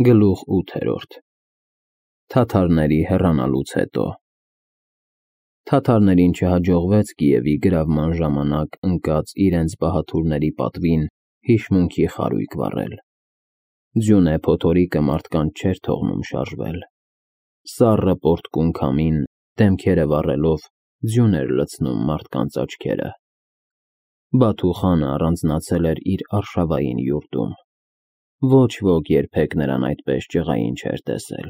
Գլուխ 8. Թաթարների հեռանալուց հետո Թաթարներին չհաջողվեց Կիևի գրավման ժամանակ ընկած իրենց բահաթուրների պատվին հիշմունքի խարույկ վառել։ Ձյունե փոթորիկը մարդկանց չէր թողնում շարժվել։ Սառը պորտկուն քամին, դեմքերը վառելով, ձյուն էր լցնում մարդկանց աչքերը։ Բաթու խանը առանձնացել էր իր արշավային յուրտում։ Ոչ ոք երբեք նրան այդպես ջղային չէր տեսել։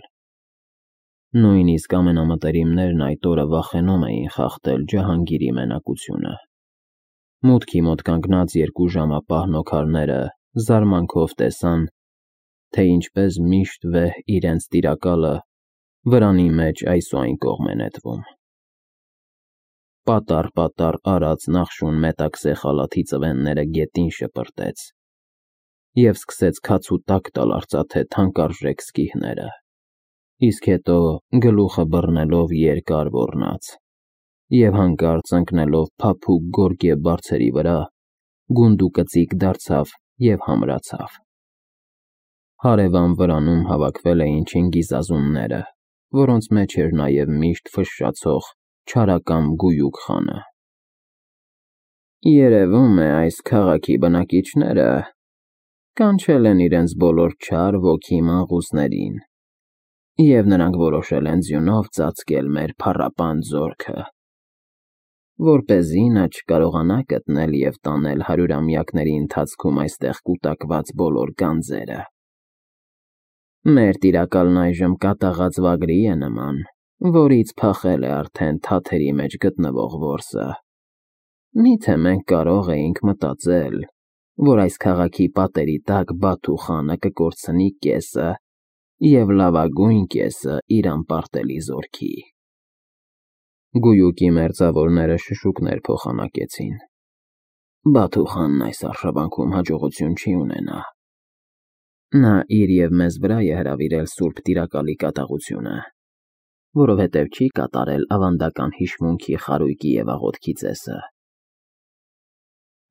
Նույնիսկ ամենամտերիմներն այդ օրը վախենում էին խախտել Ջահանգիրի մենակությունը։ Մուտքի մոտ կանգնած երկու ժամապահ նոքարները զարմանքով տեսան, թե ինչպես միշտ վեհ իրենց տիրակալը վրանի մեջ այս ու այն կողմ է նետվում։ Պատառ արած նախշուն մետաքսե խալաթի ծվենները գետին շպրտեց և սկսեց քաց ու տակ տալ արծաթե թանկարժեք սկիհները, իսկ հետո գլուխը բռնելով երկար ոռնաց և հանկարծ ընկնելով փափուկ գորգե բարձերի վրա, գունդուկծիկ դարձավ և համրացավ։ Հարևան վրանում հավաքվել էին չինգիզազունները, որոնց մեջ էր նաև միշտ ֆշշացող չարակամ Գույուկ խանը։ Երևում է, այս քաղաքի բնակիչները կանչել են իրենց բոլոր չար ոգի մանկուսներին, և նրանք որոշել են ձյունով ծածկել մեր փառապան զորքը, որպեսզի նա չկարողանա գտնել և տանել հարյուրամյակների ընթացքում այստեղ կուտակված բոլոր գանձերը։ Մեր տիրակալն այժմ կատաղած վագրի է նման, որից փախել է արդեն թաթերի մեջ գտնվող որսը։ Միթե մենք կարող էինք մտածել, որ այս քաղաքի պատերի տակ Բաթու խանը կկորցնի կեսը և լավագույն կեսը իր անպարտելի զորքի։ Գույուկի մերձավորները շշուկներ փոխանակեցին։ Բաթու խանն այս արշավանքում հաջողություն չի ունենա։ Նա իր և մեզ վրա է հրավիրել սուրբ տիրակալի կատաղությունը, որովհետև չի կատարել ավանդական հիշմունքի խարույկի և աղոթքի ծեսը։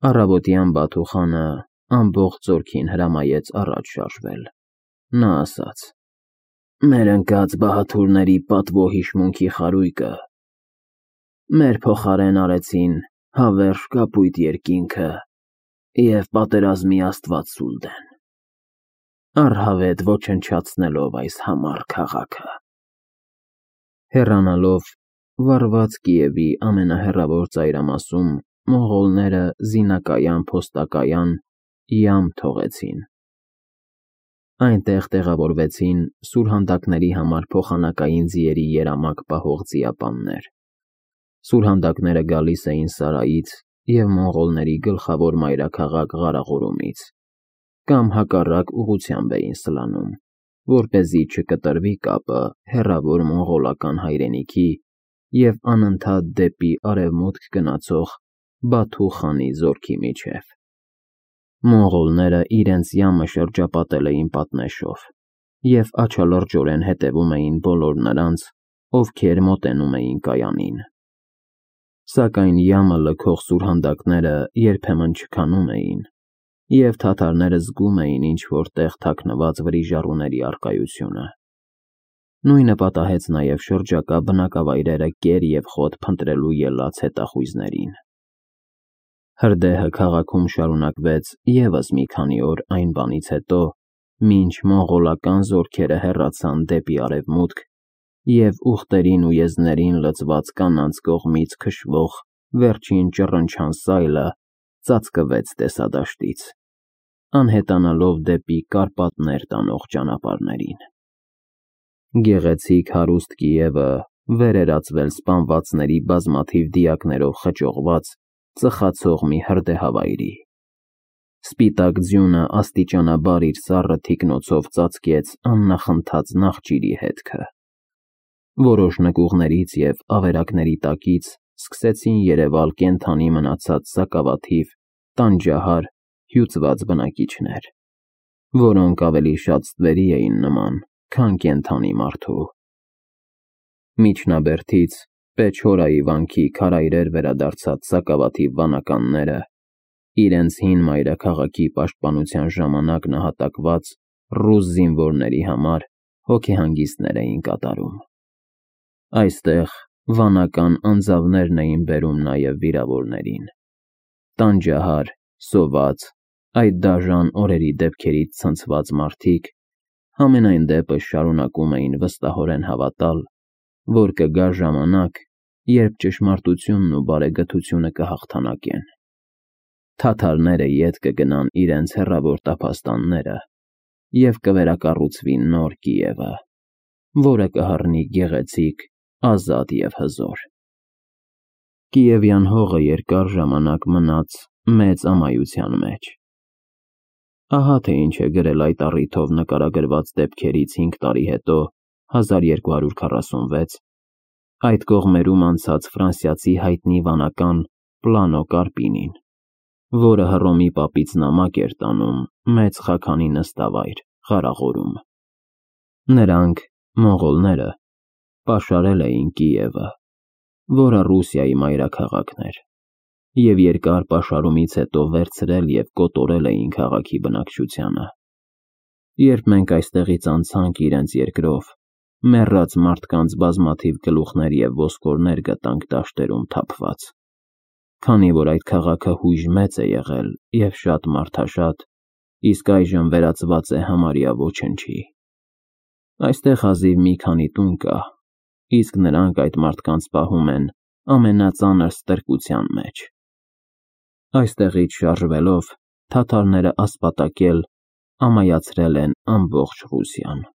Առավոտյան Բաթու խանը ամբողջ զորքին հրամայեց առաջ շարժվել։ Նա ասաց. «Մեր ընկած բահաթուրների պատվո հիշմունքի խարույկը մեր փոխարեն արեցին հավերժ կապույտ երկինքը և պատերազմի աստված Սուլդեն, առհավետ ոչնչացնելով այս համառ քաղաքը»։ Հեռանալով վառված Կիևի ամենահեռավոր ծայրամասում մոնղոլները զինակայան-փոստակայան յամ թողեցին։ Այնտեղ տեղավորվեցին սուրհանդակների համար փոխանակային ձիերի երամակ պահող ձիապաններ։ Սուրհանդակները գալիս էին Սարայից և մոնղոլների գլխավոր մայրաքաղաք Ղարաղորումից, կամ հակառակ ուղղությամբ էին սլանում, որպեսզի չկտրվի կապը հեռավոր մոնղոլական հայրենիքի և անընդհատ դեպի արևմուտք գնացող Բաթու խանի զորքի միջև։ Մոնղոլները իրենց յամը շրջապատել էին պատնեշով և աչալրջորեն հետևում էին բոլոր նրանց, ովքեր մոտենում էին կայանին։ Սակայն յամը լքող սուրհանդակները երբեմն չքանում էին, և թաթարները զգում էին ինչ-որ տեղ թաքնված վրիժառուների առկայությունը։ Նույնը պատահեց նաև շրջակա բնակավայրերը կեր և խոտ փնտրելու ելած հետախույզներին։ Հրդեհը քաղաքում շարունակվեց ևս մի քանի օր այն բանից հետո, մինչ մոնղոլական զորքերը հեռացան դեպի արևմուտք և ուղտերին ու եզներին լցված կանանց կողմից քշվող վերջին ճռնչան սայլը ծածկվեց տեսադաշտից, անհետանալով դեպի Կարպատներ տանող ճանապարհներին։ Գեղեցիկ հարուստ Կիևը վեր էր ածվել սպանվածների բազմաթիվ դիակներով խճողված ծխացող մի հրդեհավայրի։ Սպիտակ ձյունը աստիճանաբար իր սառը թիկնոցով ծածկեց աննախընթաց նախճիրի հետքը։ Որոշ նկուղներից և ավերակների տակից սկսեցին երևալ կենդանի մնացած սակավաթիվ, տանջահար, հյուծված բնակիչներ, որոնք ավելի շատ ստվերի էին նման, քան կենդանի մարդու։ Միջնաբերդից Պեչորայի վանքի քարայրեր վերադարձած սակավաթիվ վանականները, իրենց հին մայրաքաղաքի պաշտպանության ժամանակ նահատակված ռուս զինվորների համար հոգեհանգիստներ էին կատարում։ Այստեղ վանական անձավներն էին բերում նաև վիրավորներին։ Տանջահար, սոված, այդ դաժան օրերի դեպքերից ցնցված մարդիկ համենայն դեպս շարունակում էին վստահորեն հավատալ, որ կգա ժամանակ, երբ ճշմարտությունն ու բարեգթությունը կհաղթանակեն։ Թաթարները ետ կգնան իրենց հեռավոր տափաստանները և կվերակառուցվի նոր Կիևը, որը կհառնի գեղեցիկ, ազատ և հզոր։ Կիևյան հողը երկար ժամանակ մնաց մեծ ամայության մեջ։ Ահա թե ինչ է գրել այդ առիթով նկարագրված դեպքերից 5 տարի հետո 1246 այդ կողմերում անցած ֆրանսիացի հայտնի վանական Պլանո Կարպինին, որը Հռոմի պապից նամակ էր տանում մեծ խաքանի նստավայր Ղարաղորում։ Նրանք, մոնղոլները, պաշարել էին Կիևը, որը Ռուսիայի մայրաքաղաքն էր, և երկար պաշարումից հետո վերցրել և կոտորել էին քաղաքի բնակչությանը։ Երբ մենք այստեղից անցանք իրենց երկրով, մեռած մարդկանց բազմաթիվ գլուխներ և ոսկորներ գտանք դաշտերում թափված։ Քանի որ այդ քաղաքը հույժ մեծ է եղել և շատ մարդաշատ, իսկ այժմ վերածված է համարյա ոչնչի։ Այստեղ հազիվ մի քանի տուն կա, իսկ նրանք այդ մարդկանց պահում են ամենածանր ստրկության մեջ։ Այստեղից շարժվելով թաթարները ասպատակել, ամայացրել են ամբողջ Ռուսիան։